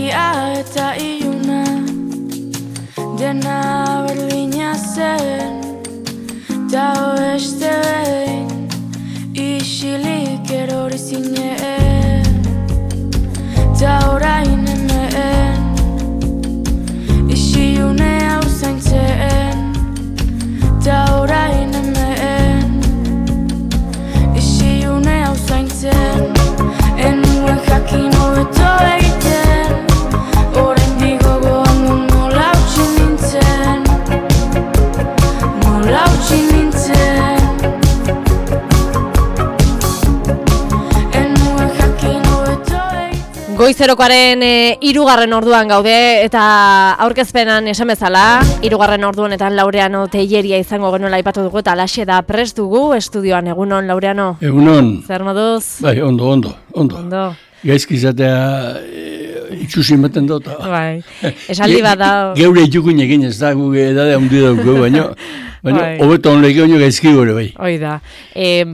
Argia eta iluna dena berdina zen, ta oeste behin isilik erori zinen, ta orain hemen isilune hau zaintzen, ta orain hemen isilune hau zaintzen. Enuen jakin hobeto egiten, oraindik gogoan du nola utzi nintzen, nola utzi nintzen. Enuen jakin hobeto egiten. Goizerokoaren 3. orduan gaude eta aurkezpenan esan bezala 3. orduanetan Laureano Telleria izango genuela aipatu dugu eta alaxe da prest dugu estudioan. Egunon, Laureano? Egunon. Zer moduz? Bai, ondo. Gaizki izatea itxusi ematen dut. Bai, esaldi bat da. Geure itxukun egin ez da, gu edade handi dauko, baina hobeto honleke baino gaizki gore bai. Hoi da.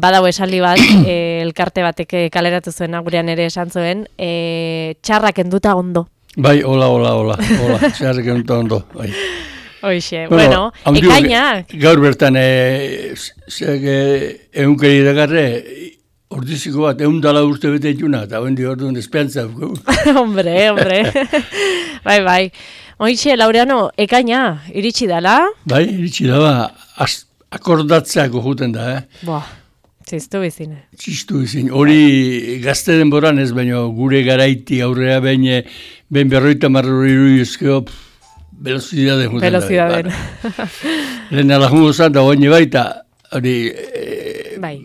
Badau esaldi bat, elkarte batek kaleratu zuen, gurean ere esan zuen, txarrak enduta ondo. Bai, hola, txarrak enduta ondo, bai. Hoixe, bueno, ekainak. Gaur bertan, egunkari dagarre, ordiziko bat, 100 urte bete ituna, eta hondi orduan esperantza. Hombre. Bai. Hoixe, Laureano, ekaina, iritsi dala? Bai, iritsi dala, akordatzeako juten da, Txistu bizin. Hori gazte denboran ez, baina gure garaiti aurrea ben 50 irudizkeo, velozidaden juten da. Velozidaden. Lehen alajungo zan da oine baita, hori... Bai.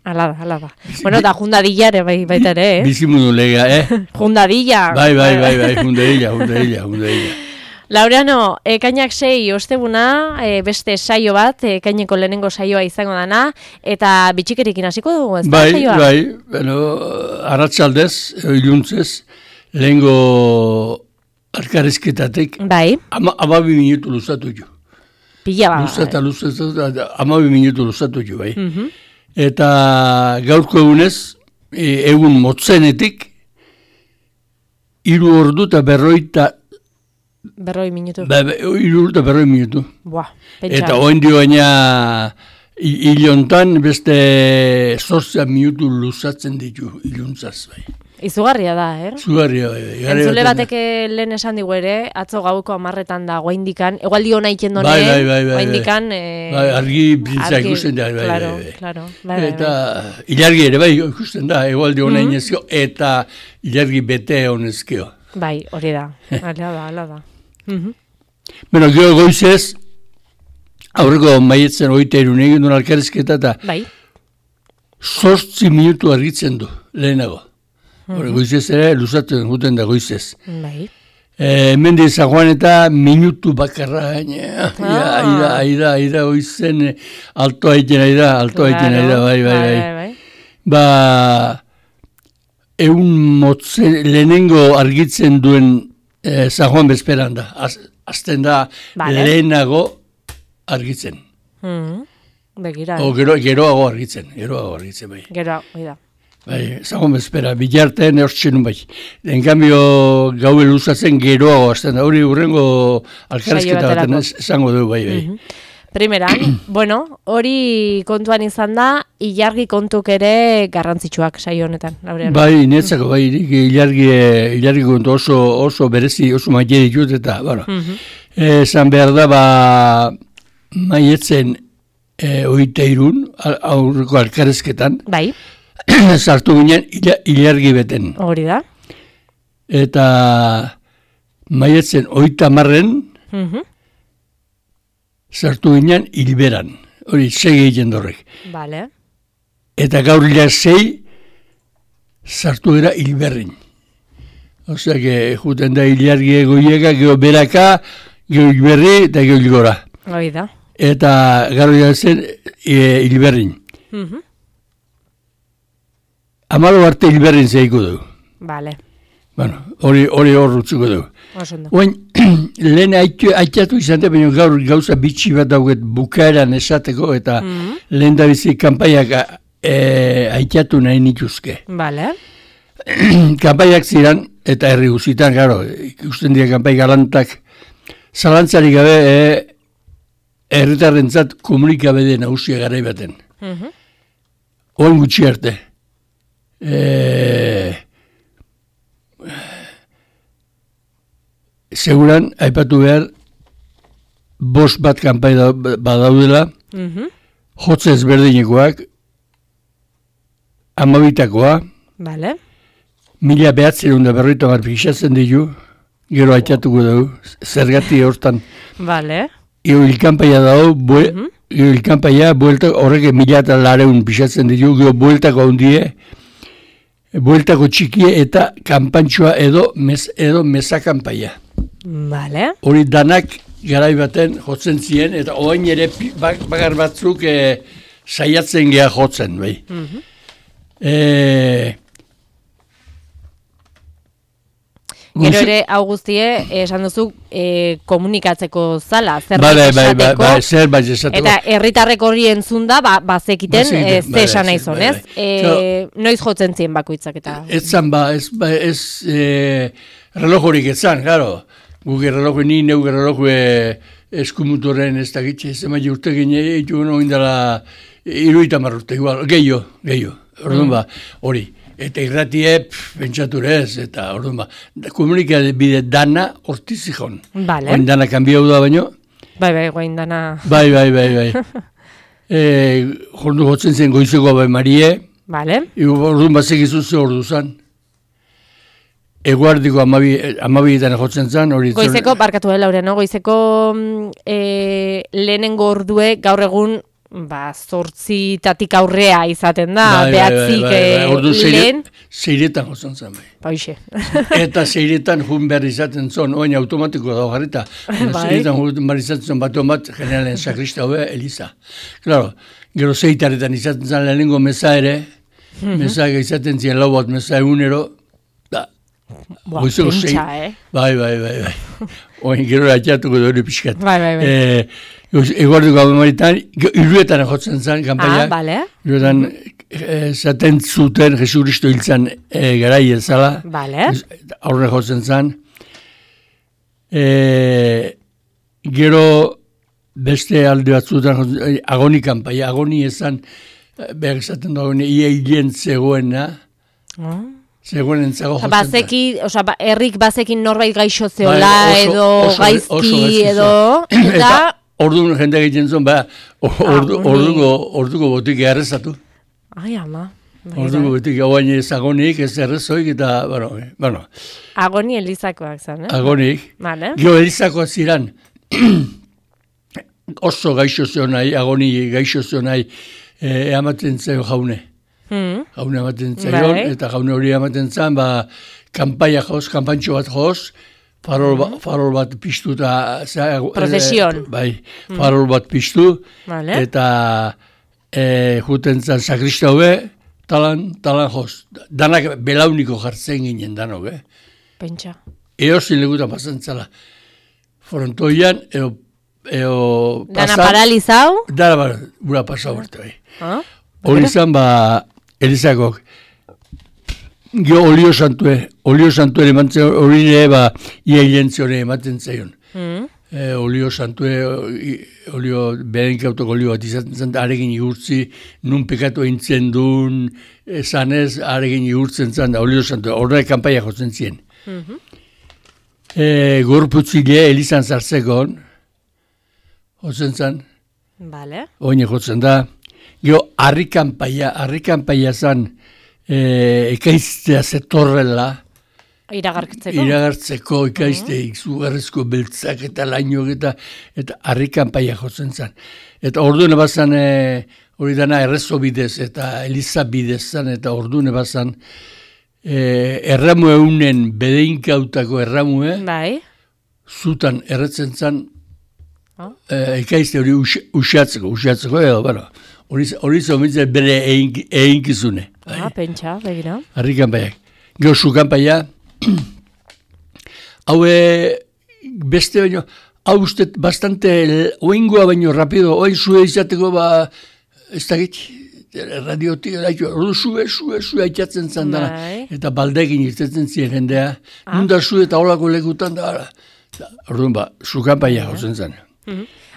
Ala da. Bueno, da jundadillare baita ere, Bizimundu lega, Jundadilla. Bai, jundadilla. Laureano, ekainak 6 ostebuna, beste saio bat, ekaineko lehenengo saioa izango dana, eta bitxikerikin hasiko dugu, ez da saioa? Bai, bueno, arratsaldez, iluntzez, lehengo arkarezketatek, 12 minutu luzatu jo. Pila ba. Luzatu, 12 minutu luzatu jo, bai. Eta gaurko egunez, egun motzenetik, 3 ordu eta 40 minutu. 3 ordu eta 40 minutu. Pentsa. Eta oen dio baina hilontan beste 8 minutu luzatzen ditu iluntzaz, bai. Izugarria da, Izugarria, bai. Entzule batek lehen esan digu ere, atzo gauko 10 da guaindikan, egualdi hona ikendone, bai. guaindikan... argi brintza ikusten da, bai. Claro. Eta ilargi ere, bai, ikusten da, egualdi hona inezkio, eta ilargi bete honezkio. Bai, hori da, ala da. Bueno, gero goizez, aurreko maietzen 23 egin duen alkarezketa, eta 8 minutu argitzen du, lehenago. Goizez ere, luzatzen guten da goizez. Bai. Hemen San Juan eta minutu bakarra, aida goizen, alto haiten aida, bai. Egun motzen, lehenengo argitzen duen San Juan bezperan da. Azten da lehenago argitzen. Begira. Geroago argitzen, bai. Geroago, da. Bai, San bezpera, bilartean eurtxenun bai. En cambio, gaue luzatzen geroago azten da. Hori urrengo alkarezketa baten esango du, bai. Primeran, bueno, hori kontuan izan da, ilargi kontuk ere garrantzitsuak saio honetan. Bai, netzako, bai, ilargi kontu oso berezi, oso maile ditut, eta, bueno, esan behar da, maietzen 23 aurreko alkarezketan, bai, sartu ginen ilargi beten. Hori da. Eta maietzen 30 sartu ginen hilberan. Hori, 6 egiten dorrek. Vale. Eta gaur 6 sartu gara hilberrin. Osea, juten da ilargi egoiega, geho beraka, geho hilberri eta geho hilgora. Hori da. Eta gaur zen hilberrin. Amalo arte hilberrin zeiko du. Vale. Bueno, hori hor utzuko du. Oin, lehen aitatu izan da, baina gaur gauza bitxi bat dauget bukaeran esateko, eta lehen da bizi kanpaiak aitatu nahi nituzke. Vale. Kanpaiak ziren, eta herri guzitan, claro, ikusten dira kanpai galantak, zalantzarik gabe, herritarrentzat komunikabide nagusia garai baten. Oan gutxi arte. Seguran, aipatu behar, 5 bat kanpai badaudela, jotze ezberdinekoak, 12takoa, Vale. 1950 pixatzen ditu, gero aitatuko dugu, zergati hortan. Vale. Hilkanpaia dago, hilkanpaia, horrek 1.200 pixatzen ditu, gero bueltako handie, bueltako txikie eta kanpantxoa edo mezakanpaia. Vale. Hori danak garai baten jotzen ziren, eta oain ere bakar batzuk saiatzen geha jotzen, bai. Gero ere, hau guztie, esan duzu, komunikatzeko zala, zerbait esateko. Zerbait esateko. Eta herritarrek hori entzun da, bazekiten, ze esan nahi zon, ez? Noiz jotzen ziren bakoitzak eta... Ez zan ez relojorik ez zan, claro. Guk erreloju, ni neuk erreloju eskumutoren ez da gitxe, ez ema urte gine, itu indala 30 urte, igual, gehiago, orduan ba, hori. Eta irratie, pentsature ez, eta orduan ba, komunikabide dana hortizikon. Vale. Oin dana kanbiau da baino. Bai, goin dana... Bai. Jordu jotzen zen goizeko bai Marie. Vale. Orduan bazekizu ze ordu zan. Eguardiko 12etan jotzen zen. Goizeko, barkatu Laureano, goizeko lehenengo ordue gaur egun 8tatik aurrea izaten da, 9 lehen. 6etan jotzen zen. Baixe. Eta 6etan jun behar izaten zon, oin automatiko dago jarrita. 6etan jun behar izaten zon bat, generalen sakrista hobe, Eliza. Claro, gero 6taretan izaten zen lehenengo meza ere, meza izaten ziren 4 bat meza egunero, Pentsa, Bai. Oin gero atxatuko dure pixkat. Bai. Eguardiko abemaritan, irruetan jotzen zen, kanpaia. Bale. Irruetan, zaten zuten, Jesu Kristo hiltzan garai ezala. Bale. Aurre jotzen zen. Gero, beste alde batzutan, agoni kanpaia, agoni ezan, behar esaten da, ia hilien zegoena. Zegoen entzago jotzen. Herrik bazekin norbait gaixo zeola, edo gaizki, edo... Eta orduan jende egiten zuen, orduko botik errezatu. Ai, ama. Orduko botik hauain ez agonik, ez errezoik, eta, bueno. Agoni elizakoak zen, Agonik. Vale. Gio elizakoak ziren, oso gaixo zeo nahi, agoni gaixo zeo nahi, ematen zeo jaune. Jaune ematen zaion, eta jaune hori ematen zan, kanpaia joz, kanpantxo bat joz, farol bat piztu eta... Prozesion. Bai, farol bat piztu, eta juten zan sakrista hobe, talan joz. Danak belauniko jartzen ginen danok, Pentsa. Eozin legutan pasan zala. Frontoian, eo Dana paralizau? Dana bura pasau berte, bai. Hori zan, Elizakok, gio olio santue emantzen hori ere, ia hilentzione ematen zaion. Olio santue, berenkautok olio bat izaten zen, aregin igurtzi, nun pekatu eintzen duen, zanez, aregin igurtzen zen, olio santue, horrek kanpaia jotzen ziren. Gorputzile, Elizan zartzekon, jotzen zen, oine jotzen da, gero, harrikanpaia zan, ekaiztea zetorrela. Iragartzeko, ekaizte, izugarrezko beltzak eta lainok eta harrikanpaia jotzen zan. Eta orduan ebazan, hori dana errezo bidez eta Eliza bidez zan, eta orduan ebazan, erramu eunen bedeinkautako erramue, zutan erretzen zan, ekaizte hori usatzeko, edo, hori zomitzen bere einkizune. Pentsa, begira. Harrikanpaiak. Gero sukanpaia, hau beste baino, hau uste bastante oingoa baino rapido, oin zue izateko ez dakit, radiotik, ordu sue aitzatzen zan dana, eta baldekin irtetzen ziren jendea, nunda zu eta holako lekutan da, orduan sukanpaia jotzen zen.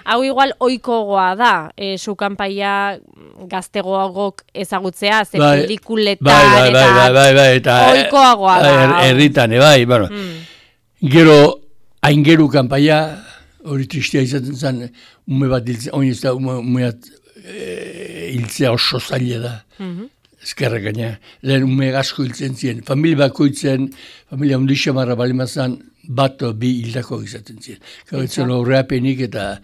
Hau igual oikogoa da, sukanpaia gaztegoagok ezagutzea, ze pelikuletan eta oikoagoa da. Herritan, bai, bueno. Gero, aingeru kanpaia, hori tristea izaten zen, ume bat hiltzea, oin ez da, umeat hiltzea oso zaila da. Ezkerrak gaina, lehen ume asko hiltzen ziren. Familia ondixamarra balimazan, bat bi hildako izaten ziren. Gautzen horreapenik eta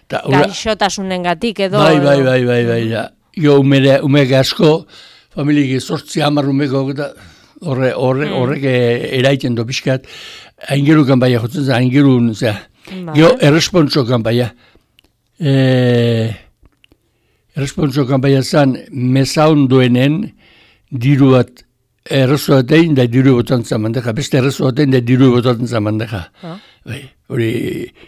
gaixotasunengatik edo. Bai. Jo umeak asko, familiak 8-10 umeko eta horrek eraiten do pixkat, aingeru kanpaia jotzen zen, aingerun, jo errespontso kanpaia. Errespontso kanpaia zen, meza ondoenen diru bat errezo batein da diru botantzen mandeka, beste errezo batein da diru botantzen mandeka. Hori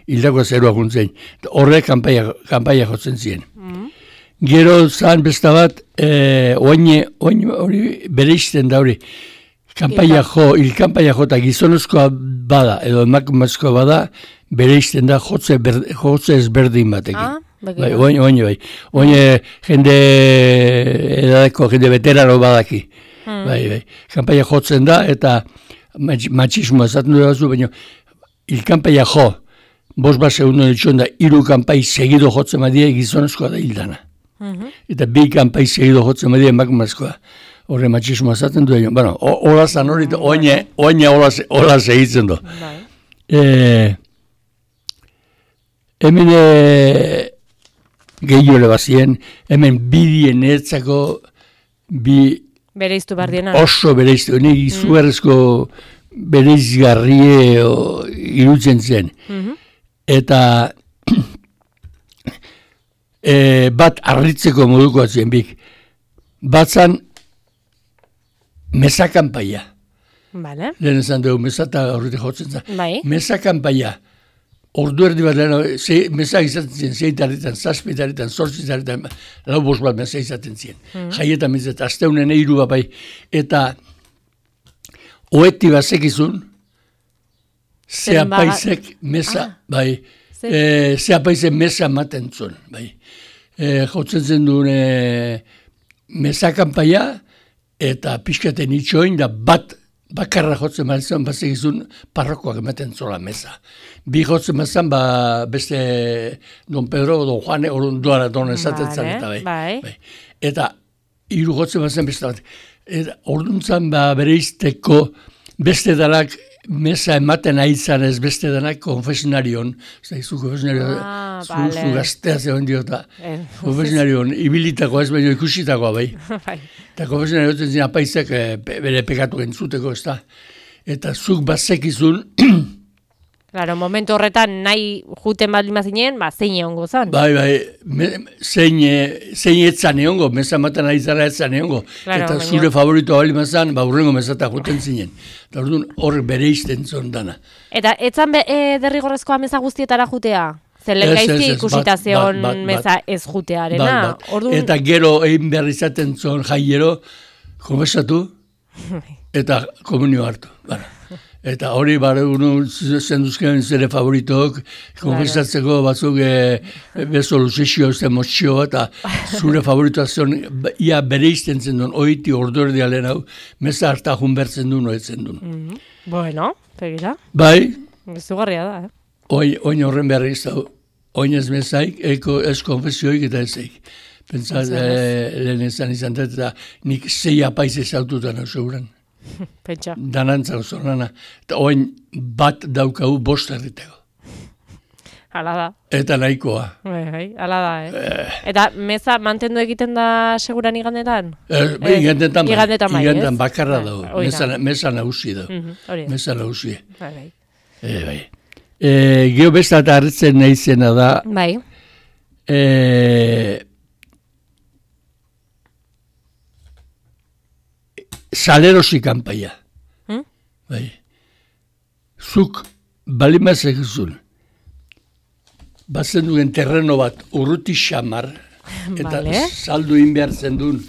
hildako zeroak untzen. Horrek kanpaia jotzen ziren. Gero zan besta bat, hori bere izten da hori, hilkanpaia jo eta gizonezkoa bada, edo emakumezkoa bada, bere izten da jotze ezberdin batekin. Bai. Jende edadeko, jende veterano badaki. Bai. Kanpaia jotzen da, eta matxismoa esaten du bazu, baina hilkanpaia jo, 5 segundu ditxon da, 3 kanpai segido jotzen badie gizonezkoa da hildana. Eta 2 kanpai segido jotzen badie emakumezkoa. Horre matxismoa esaten du, bueno, hola zan hori, oina hola segitzen du. Hemen gehiole bazien, hemen bidien etzako bereiztu bardiena. Oso bereiztu, izugarrezko bereizgarrie irutzen zen. Eta bat arritzeko moduko atzien bik. Batzan meza kanpaia. Vale. Lehen esan dugu, meza eta horretik jotzen zen. Bai. Meza kanpaia. Ordu erdi bat lehen, meza izaten ziren, 6 7 8 lau 5 bat meza izaten ziren. Jaietan meza, asteunen 3 bat bai. Eta oeti bazekizun, zeapaizek meza, bai, zeapaizek meza maten zuen, bai. Jotzen zen duen meza kanpaia, eta pixkaten itxoin da bakarra jotzen mazan, bazekizun parrokoak ematen zola meza. Bi jotzen mazan, beste Don Pedro, Don Juane, Don esaten zan, eta bai. Eta 3 jotzen mazan beste bat. Orduntzan bere izteko beste dalak meza ematen aitzan ez beste denak konfesionarion. Zu konfesionarion, zu gaztea zegoen diota. Konfesionarion, ibilitakoa ez baino ikusitakoa bai. Eta konfesionarion zen zin apaizek bere pekatu entzuteko ez da. Eta zuk bazekizun... Claro, momentu horretan nahi juten baldin bazinen, zein egongo zan. Bai, zein etzan egongo, meza maten ari zara etzan egongo. Eta zure favoritoa baldin bazan, urrengo mezata juten zinen. Eta orduan horrek bere izten zon dana. Eta etzan derrigorrezkoa meza guztietara jutea? Zelen gaizki ikusita zeon meza ez jutearena. Eta gero egin behar izaten zon jaiero, konfesatu eta komunio hartu. Eta hori zenduzken zere favoritok, konfesatzeko batzuk bezo luzexio ez motxio, eta zure favoritoa zion, ia bere izten zen duen, oiti ordordi alen hau, meza harta junbertzen duen, oetzen duen. Bueno, pegira. Bai. Zugarria da, Oin horren behar izan, oin ez mezaik, ez konfesioik eta ezeik. Pentsat, lehen izan dut, eta nik 6 apaiz ezaututan hau zeuran. Pentsa. Danantza osorana. Eta oin bat daukau 5 herriteko. Hala da. Eta nahikoa. Hala da, Eta meza mantendu egiten da seguran igandetan? Igandetan bai, igandetan bakarra dago. Meza nagusi dago. Meza nagusi. Bai. Geo besta eta harritzen nahi zena da. Bai. Salerosi kanpaia. Bai. Zuk balimazek zuen. Bazen duen terreno bat urruti xamar, Eta Vale. saldu egin behar zendun.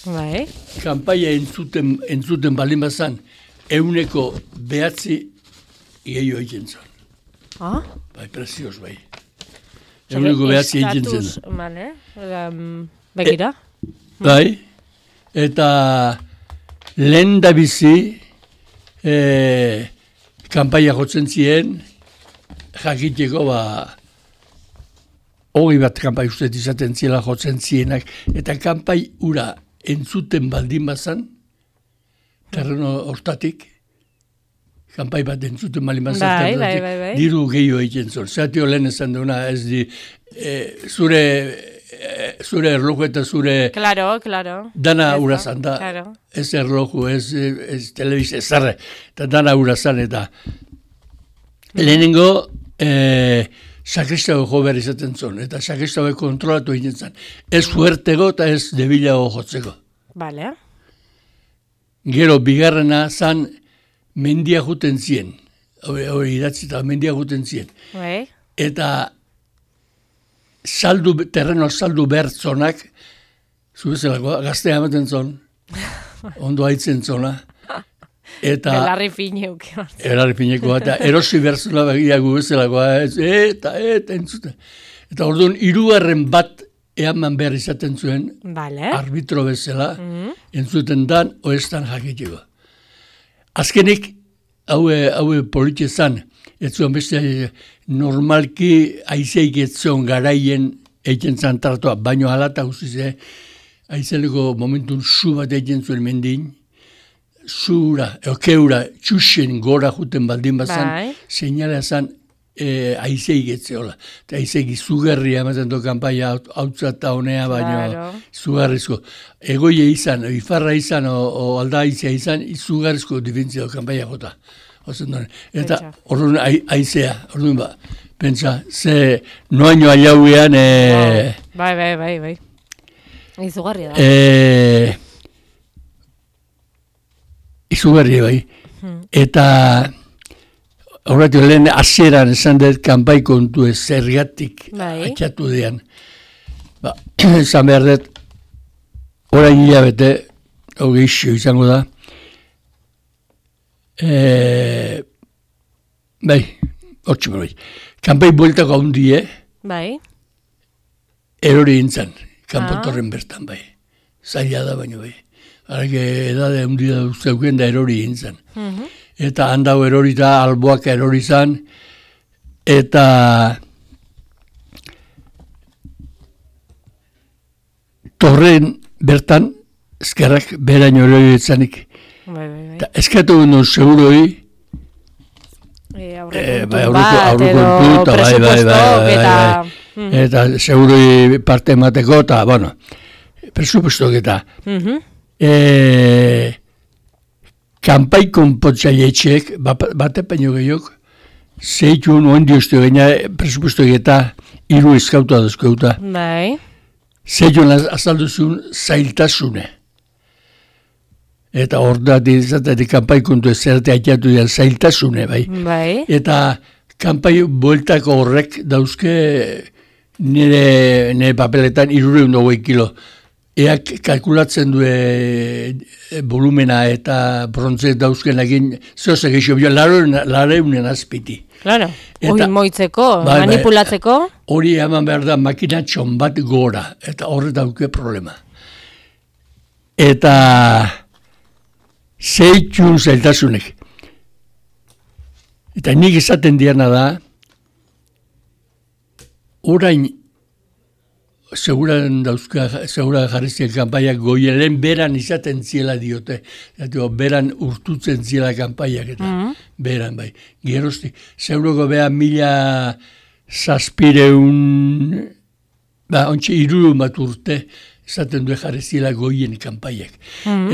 Bai. Kanpaia entzuten balin bazan, 9 gehiago egiten zuen. Ah? Bai, prezioz, bai. 9 egiten zen. Vale. Begira. Bai, eta lehen da bizi, kanpaia jotzen ziren, jakiteko, 20 kanpai uste izaten ziela jotzen zienak, eta kanpai ura entzuten baldin bazan, terreno hortatik, kanpai bat entzuten baldin bazan, Bai. diru gehiago egiten zuen. Zatio lehen esan duena, ez di, zure erloju eta zure Claro. dana urazan da. Claro. Ez erloju, ez telebizia, zarre, eta dana urazan, eta lehenengo, sakristago jo behar izaten zuen, eta sakristago kontrolatu egiten zen. Ez fuertego eta ez debilago jotzeko. Vale. Gero, bigarrena zan mendia juten zien. Hori idatzi eta mendia juten zien. Bai. Eta terreno saldu behar zonak, zubezelakoa, gaztea ematen zon, ondo haitzen zona, eta Belarri fineuk. erarri finekoa, eta erosi behar zona begia gubezelakoa, eta entzuten. Eta orduan, 3 bat eaman behar izaten zuen, Vale. arbitro bezala, entzuten dan, oestan jakiteko. Azkenik, haue politxezan, ez zuen beste normalki aizeik ez zuen garaien egiten zan tartoa, baino halata guztize, aizeleko momentun su bat egiten zuen mendin, zura, keura, txusen gora juten baldin bazan, Bai. seinalea zan aizeik ez zeola. Eta aizeik izugarria ematen du kanpaia hautza eta honea, baino Claro. izugarrizko. Egoie izan, ifarra izan, o alda aizea izan, izugarrizko difentzia kanpaia jota. Eta Pentsa. orduan aizea, orduan pentsa, ze noaino aiauean, Bai. Izugarria da. izugarria bai. Eta horretu lehen hasieran esan dut kanpai kontu ez zergatik Bai. atxatu dean. Esan behar dut, orain hilabete, hogeixo izango da, bai, kanpai bueltako handie, Bai. erori intzan, kanpotorren bertan bai. Zaila da baino bai. Harake edade handia zeuken da erori intzan. Eta handau erori da, alboak erori zan, eta torren bertan, ezkerrak beraino erori etzanik. Bai. Eta eskatu guen seguroi, aurrekontu eta bai. Eta seguroi parte emateko, eta, bueno, presupuestok eta. Kanpai konpotzailetxeek, bate peino gehiok, zeitun oen dioztio gaina presupuestok eta 3 eskauta dozkeuta. Bai. Zeitun azalduzun zailtasune. Eta hor da, dizatetik kanpai kontu ez zerate haiatu dira zailtasune, bai. Bai. Eta kanpai bueltako horrek dauzke nire papeletan 320 kilo. Eak kalkulatzen du volumena eta brontze dauzken egin zehose geixo, lareunen azpiti. Claro. Eta- Hori moitzeko, Bai, manipulatzeko. Hori eman behar da makinatxon bat gora, eta horre dauke problema. Eta zeitun zailtasunek. Eta nik esaten diana da, orain segura jarrizien kanpaiak goielen beran izaten ziela diote. Eta beran urtutzen ziela kanpaiak eta beran bai. Geroztik, zeuroko beha 1700, ontsa 300 bat urte izaten du jarri ziela goien kanpaiak.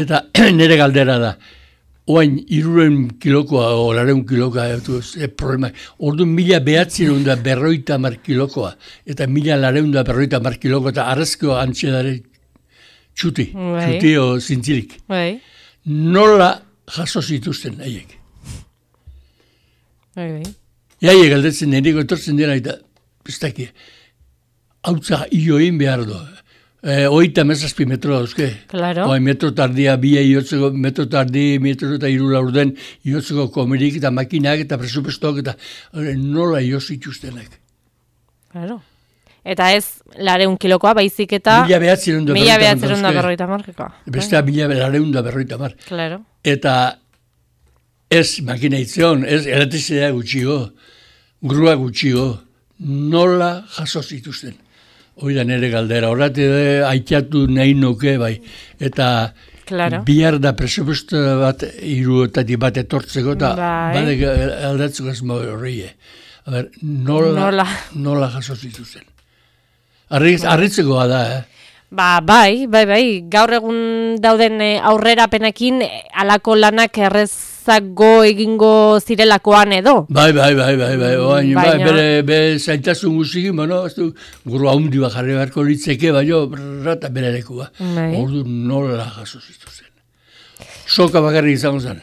Eta nire galdera da, oain 300 kilokoa o 200 kilokoa, problema. Orduan 1950 kilokoa, eta 1950 kilokoa, eta arrezko antxedare txuti, Bai. txuti o zintzirik. Bai. Nola jaso zituzten haiek. Bai. Haiek galdetzen nireko etortzen dira, eta ez daki. hautza ioin behar du. 37 metro dauzke. Claro. Metro tardia, iotzeko, metro tardi, metro eta 3 laurden, iotzeko komerik eta makinak eta presupuestok eta nola ioz ituztenak. Claro. Eta ez 200 kilokoa, baizik eta 1950. Bestea 1950. Claro. Eta ez makina itzion, ez elektrizidea gutxigo, grua gutxigo, nola jaso zituzten. Hoi da nire galdera, horrate aitatu nahi nuke, bai. Eta bihar da presupuesto bat, 3 bat etortzeko, eta badek aldatzeko ez horrie. Nola jaso zituzten. Arritzekoa da, Bai. Gaur egun dauden aurrerapenekin alako lanak errezago egingo zirelakoan edo. Bai. Bere zaitasun guzikin, guru haundi bat jarri beharko litzeke, rata bere lekua. Ordu nola jaso zituzten. Soka bakarrik izango zen.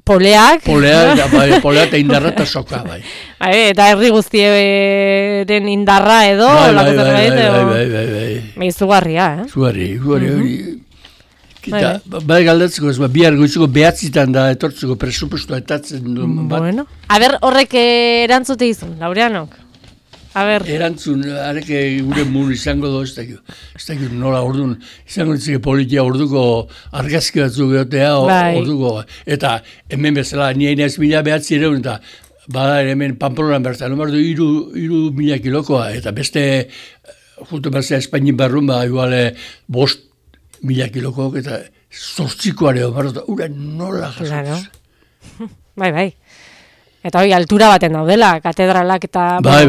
Poleak eta indarra eta soka, bai. Eta herri guztiaren indarra edo, bai. Izugarria, Izugarri. Bai galdatzeko ez, bihar goizuko behatzitan da etortzeko presupuestua etatzen du. Bueno. Horrek erantzute izun, Laureanok? Erantzun, areke gure mun izango do, ez dakit nola orduan, izango ditzeke politia orduko argazki batzuk geotea, orduko, eta hemen bezala, nien ez 1900 eta bada hemen Pamplonan bertan, nomar du 3.000 kilokoa, eta beste, jutu bezala Espainin barrun, iguale 5.000 kilokoak, eta 8koare, ura nola jasotuz. Bai. Eta hori, altura baten daudela, katedralak eta... Bai.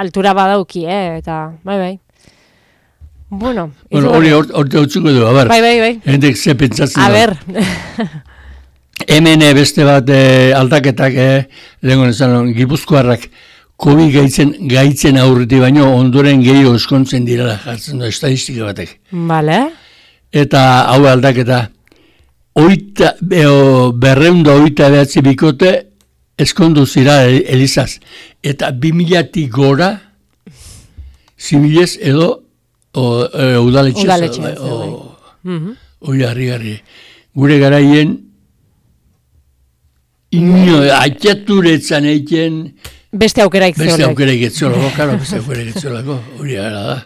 Altura badauki, eta... Bai. Bueno, hori horte utzuko du, abar. Bai. Hendek ze pentsatzen da. Hemen beste bat aldaketak, lehenko nezan, Gipuzkoarrak COVID gaitzen aurreti baino, ondoren gehiago eskontzen direla jartzen du, estadistika batek. Bale. Eta hau aldaketa... 289 bikote eskondu zira Elizaz. Eta 2000-tik gora zibilez edo udaletxez. Hoi harri. Gure garaien aitaturetzan eiken beste aukeraik zeolako. Beste aukeraik zeolako. Hori gara da.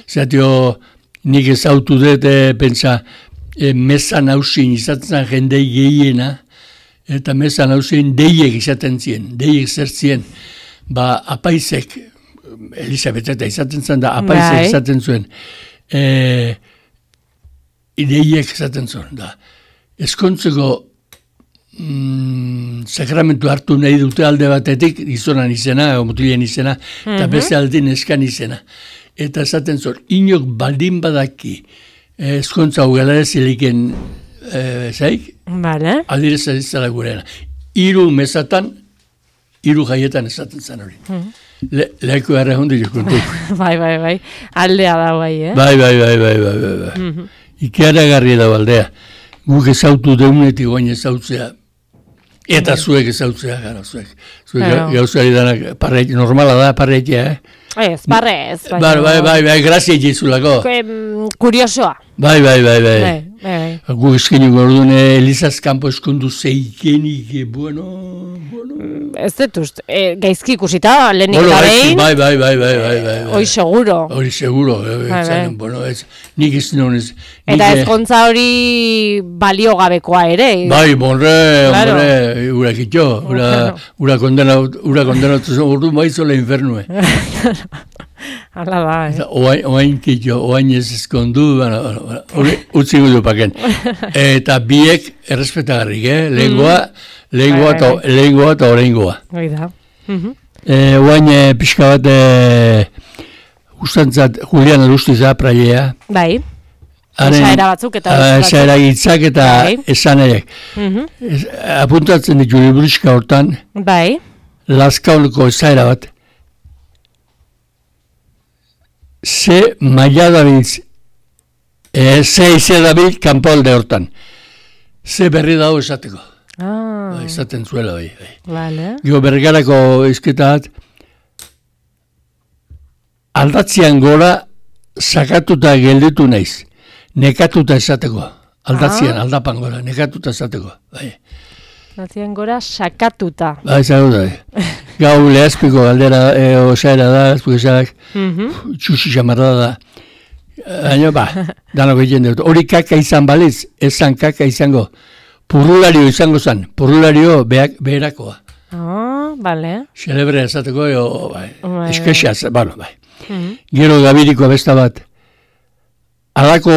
Zatio nik ezautu dut pentsa mesan hausin izatzen jendei gehiena, eta mesan hausin deiek izaten zien, deiek zertzien, apaizek, Elizabeteta izaten zen da, apaizek izaten zuen, deiek izaten zuen, da. Eskontzeko sakramentu hartu nahi dute alde batetik, gizonan izena, mutilen izena, eta beste aldin eskan izena. Eta esaten zuen, inok baldin badaki, eskontza ugelara ziliken zaik, aldirez azitzala gurena. 3 mesatan, 3 jaietan esaten zen hori. Leheko erra hondi jokuntu. Bai. Aldea da bai, Bai. Ikeara garri da aldea. Guk ezautu deunetik goain ezautzea. Eta zuek ezautzea, gara zuek. Zuek gauzari danak, normala da parreitea, Ez, barrez. Bai, grazia jizulako. Kuriosoa. Bai. Gu eskenik orduan Elizaz kanpo eskondu zeikenik, bueno. Ez dut uste, gaizki ikusita, lehenik da behin. Bai. Hori seguro. Bueno, nik ez nonez. Eta ezkontza hori baliogabekoa ere. Bai, hombre, urakitxo. Ura kondenatu ordu maizola infernue. Hala da, Oain kitxo, oain ez eskondu, utzi gudu paken. Eta biek errespetagarrik, lehengoa eta orengoa. Oida. Oain pixka bat ustantzat Julian Alustiza prailea. Bai. Esaera batzuk eta esaera hitzak eta esanaiek. Apuntatzen ditu libriska hortan. Bai. Lazkauneko esaera bat. Ze maila dabiltz, ze ize dabil kanpolde hortan. Ze berri dago esateko. Esaten zuela bai. Vale. Gio bergarako izketat, aldatzean gora sakatuta gelditu naiz. Nekatuta esateko. Aldatzean, aldapan gora, nekatuta esateko. Bai. Aldatzean gora sakatuta. Bai, zago da. Gau lehazpiko galdera, osaera da, ezpukesak, txusi xamarra da. Baina, danok egiten dut. Hori kaka izan baliz, esan kaka izango. Purrulario izango zen. Purrulario beherakoa. Bale. Xelebre esateko, eskesa, bai. Gero gabiriko besta bat. Alako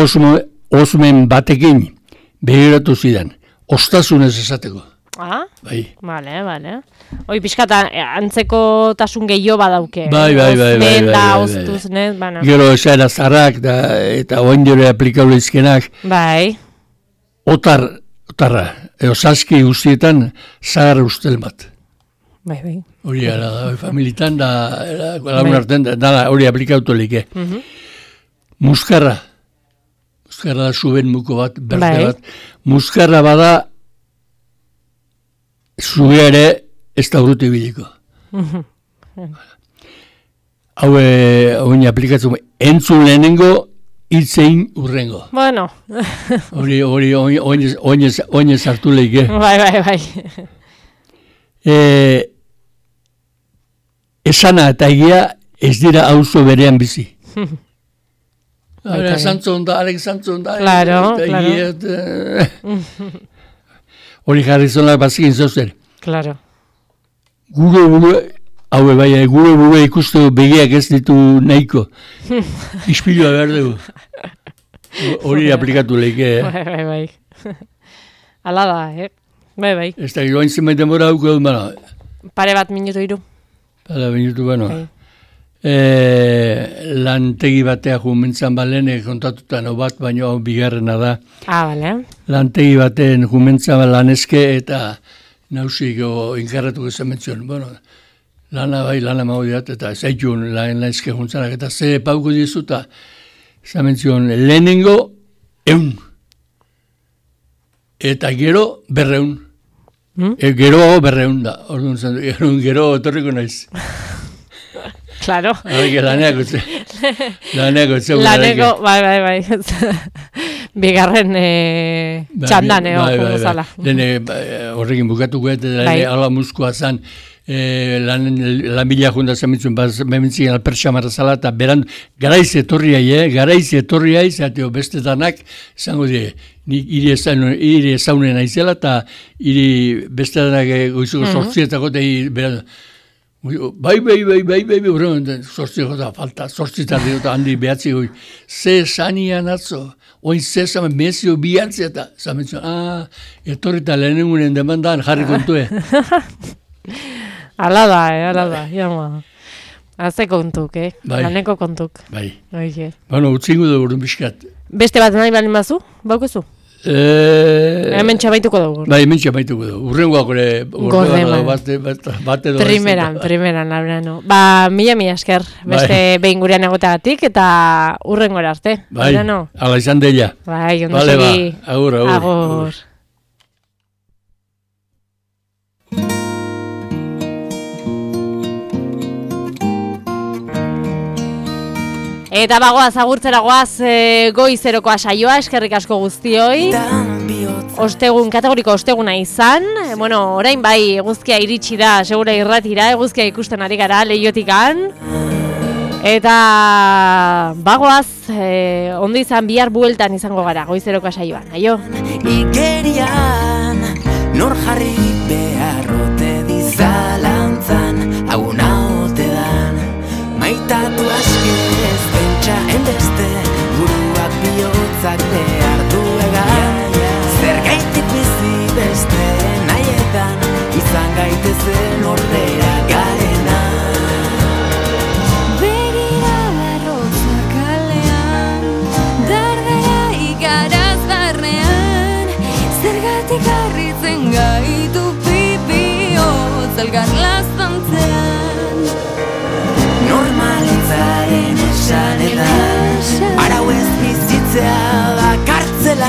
osmen batekin behiratu zidan. Ostasunez esateko. Bai. Bale. Hoi pixkata antzeko tasun gehiago badauke. Bai. Osmen da, ostuznet, bana. Gero esaera zarrak eta oain diore aplikable izkenak. Bai. Otarra, saski guztietan zahar ustel bat. Bai. Hori gara da, familitan da, lagun arten, hori aplikautu like. Muskarra da suben muko bat, berde bat. Muskarra bada, zube ere ez da urruti biliko. Hau aplikatzen, entzun lehenengo, hitzein urrengo. Bueno. Hori oinez hartu leike. Bai. Esana eta egia ez dira auzo berean bizi. Zantzon da. Claro. Hori jarri zonak bazikin zozer. Claro. Gure buru ikusteko begiak ez ditu nahiko. Ispilua behar dugu. Hori aplikatu leike. Bai. Ala da, Bai. Ez da, joan zenbait denbora hauko dut, bana. Pare bat minutu iru. Lantegi batea jumentzan balen, kontatuta no bat, baina bigarrena da. Bale. Lantegi baten jumentzan laneske eta nausiko inkarratuko zen mentzion. Lana mago diat, eta zaitun laneske juntzanak, eta ze pauko dizuta, zen mentzion, lehenengo 100. Eta gero 200. Geroago 200 da, orduan zen, gero otorriko naiz. Claro. Laneako bai. Bigarren txandan, zala. Horrekin bukatuko, eta ala muskoa zan, lan bila junda zamitzun, bementzik alpertxamarra zala, eta beran, garaiz etorriai, zateo besteetanak, zango die, nik hiri ezaunen aizela, eta hiri besteetanak goizuko sortzietako, eta beran, bai, sortzieko da, falta, sortzitarri eta handi behatzi goi, ze sanian atzo, oin ze zamen, mezio bihatzi eta, zamentzun, etorrita lehenengunen demandan jarri kontue. Ala da, jama. Haze kontuk, Laneko kontuk. Bai. Utzingu dugu urun biskat. Beste bat nahi balin bazu? Baukezu? Hemen txabaituko dugu. Bai, hemen txabaituko dugu. Urrengoak Gordema. Bat edo. Primeran, labrano. Mila esker. Beste behin gurean egoteagatik eta urrengora arte. Bai, ala izan deia. Bai, ondo segi. Agur. Eta bagoaz, agurtzera goaz goizerokoa saioa, eskerrik asko guztioi. Kategoriko osteguna izan. Orain bai, eguzkia iritsi da, segura irratira, eguzkia ikusten ari gara, Leiotikan. Eta bagoaz, ondo izan bihar bueltan izango gara, goizerokoa saioan. Aio? Igerian, nor jarri beharrote dizalantzan, aguna ote dan, maitatu askez, enbeste, buruak bihotzak behar duegan, zer gaitik bizi beste nahietan, izan gaitezen ordea garena. Begira barrotzak kalean, dardera igaraz barnean, zergatik harritzen gaitu pipihotz elgar laztantzean. Normalitzaren esanetan, arau ez bizitzea da kartzela,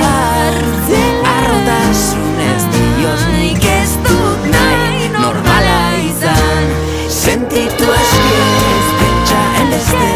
arrotasunez dioz nik ez dut nahi normala izan, sentitu aski ez pentsa enbeste,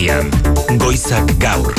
irratian. Goizak gaur.